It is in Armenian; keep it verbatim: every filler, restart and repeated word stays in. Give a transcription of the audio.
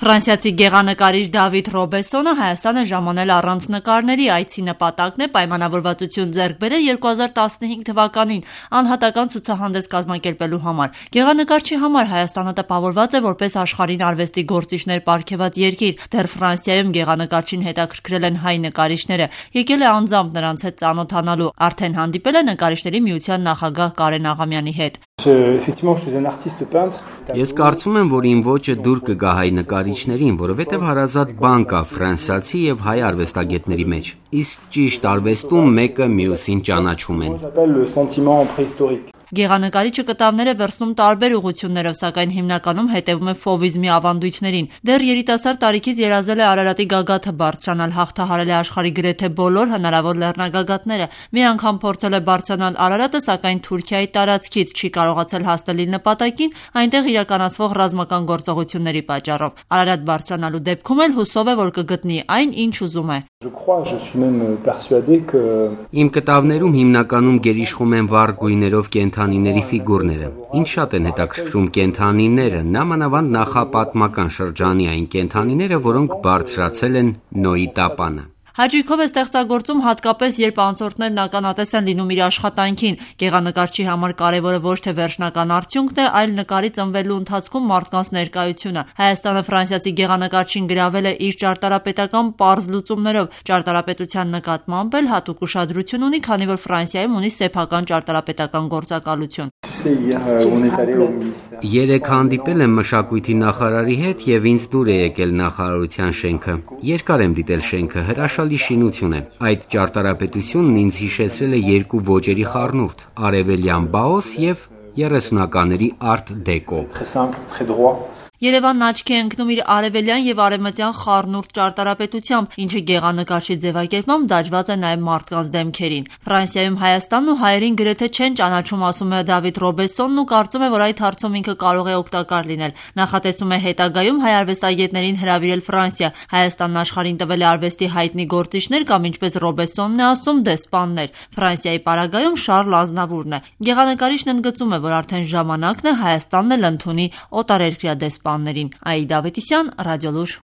Ֆրանսիացի գեղանկարիչ Դավիթ Ռոբեսոնը Հայաստան է ժամանել առանց նկարների, այցի նպատակն է պայմանավորվածություն ձեռք բերել երկու հազար տասնհինգ թվականին անհատական ցուցահանդես կազմակերպելու համար։ Գեղանկարչի համար Հայաստանը տպավորված է որպես աշխարհին արվեստի գործիչներ պարգևած երկիր։ Դեռ Ֆրանսիայում գեղանկարչին հետաքրքրել են հայ նկարիչները, եկել է անձամբ նրանց հետ ծանոթանալու, արդեն հանդիպել է նկարիչների միության նախագահ Կարեն Աղամյանի հետ։ Ես կարծում եմ, որ իմ ոճը դուր կգա հայ նկարիչներին, որովհետև հարազատ բան կա ֆրանսիացի եւ հայ արվեստագետների մեջ։ Իսկ ճիշտ արվեստում մեկը մյուսին ճանաչում են։ Գեղանկարիչը կտավներ է վերցնում տարբեր ուղղություններով, սակայն հիմնականում հետևում է ֆովիզմի ավանդույթներին։ Դեռ երիտասարդ տարիքից երազել է Արարատի գագաթը բարձրանալ, հաղթահարել է աշխարհի գրեթե բոլոր հնարավոր լեռնագագաթները։ Մի անգամ փորձել է բարձրանալ Արարատը, սակայն Թուրքիայի տարածքից չի կարողացել հասնել իր նպատակին, այնտեղ իրականացվող ռազմական գործողությունների պատճառով։ Արարատ բարձրանալու դեպքում էլ հուսով է, որ կգտնի այն, ինչ ուզում է։ Իմ կտավներում հիմնականում գերիշխում են վառ գույներով կենդանիների ֆիգուրները։ Ինձ շատ են հետաքրքրում կենդանիները, նամանավանդ նախապատմական շրջանի այն կենդանիները, որոնք բարձրացել են Նոյի տապանը։ Հաճույքով է ստեղծագործում հատկապես, երբ անցորդներն ականատես են լինում իր աշխատանքին։ Գեղանկարչի համար կարևորը ոչ թե վերջնական արդյունքն է, այլ նկարի ծնվելու ընթացքում մարդկանց ներկայությունը։ Հայաստանը ֆրանսիացի գեղանկարչին գրավել է իր ճարտարապետական պարզ լուծումներով։ Ճարտարապետության նկատմամբ էլ հատուկ ուշադրություն ունի, քանի որ Ֆրանսիայում ունի սեփական ճարտարապետական գործակալություն։ Երեք հանդիպել եմ մշակույթի նախարարի հետ եւ ինձ դուր է եկել նախարարության շենքը։ Երկար եմ դիտել շենքը, հրաշալի շինություն է։ Այդ ճարտարապետությունն ինձ հիշեցրել է երկու ոճերի խառնուրդ՝ արևելյան բաոս եւ երեսունականների արտ դեկո։ Երևանն աչքի է ընկնում իր արևելյան եւ արևմտյան խառնուրդ ճարտարապետությամբ, ինչը գեղանկարչի ձևակերպմամբ դաջված է նաեւ մարդկանց դեմքերին։ Ֆրանսիայում Հայաստանն ու հայերին գրեթե չեն ճանաչում, ասում է Դավիթ Ռոբեսոնն ու կարծում է, որ այդ հարցում ինքը կարող է օգտակար լինել։ Նախատեսում է հետագայում հայ արվեստագետներին հրավիրել Ֆրանսիա։ Հայաստանն աշխարհին տվել է արվեստի հայտնի գործիչներ կամ, ինչպես Ռոբեսոնն է ասում, դեսպաններ։ Ֆրանսիայի պարագայում Շարլ Ազնավուրն է։ Գեղանկարիչն ընդգծում է, որ արդեն ժամանակն է Հայաստանն էլ ընդունի օտարերկրյա դեսպան Այդա Ավետիսյան, Ռադիոլուր։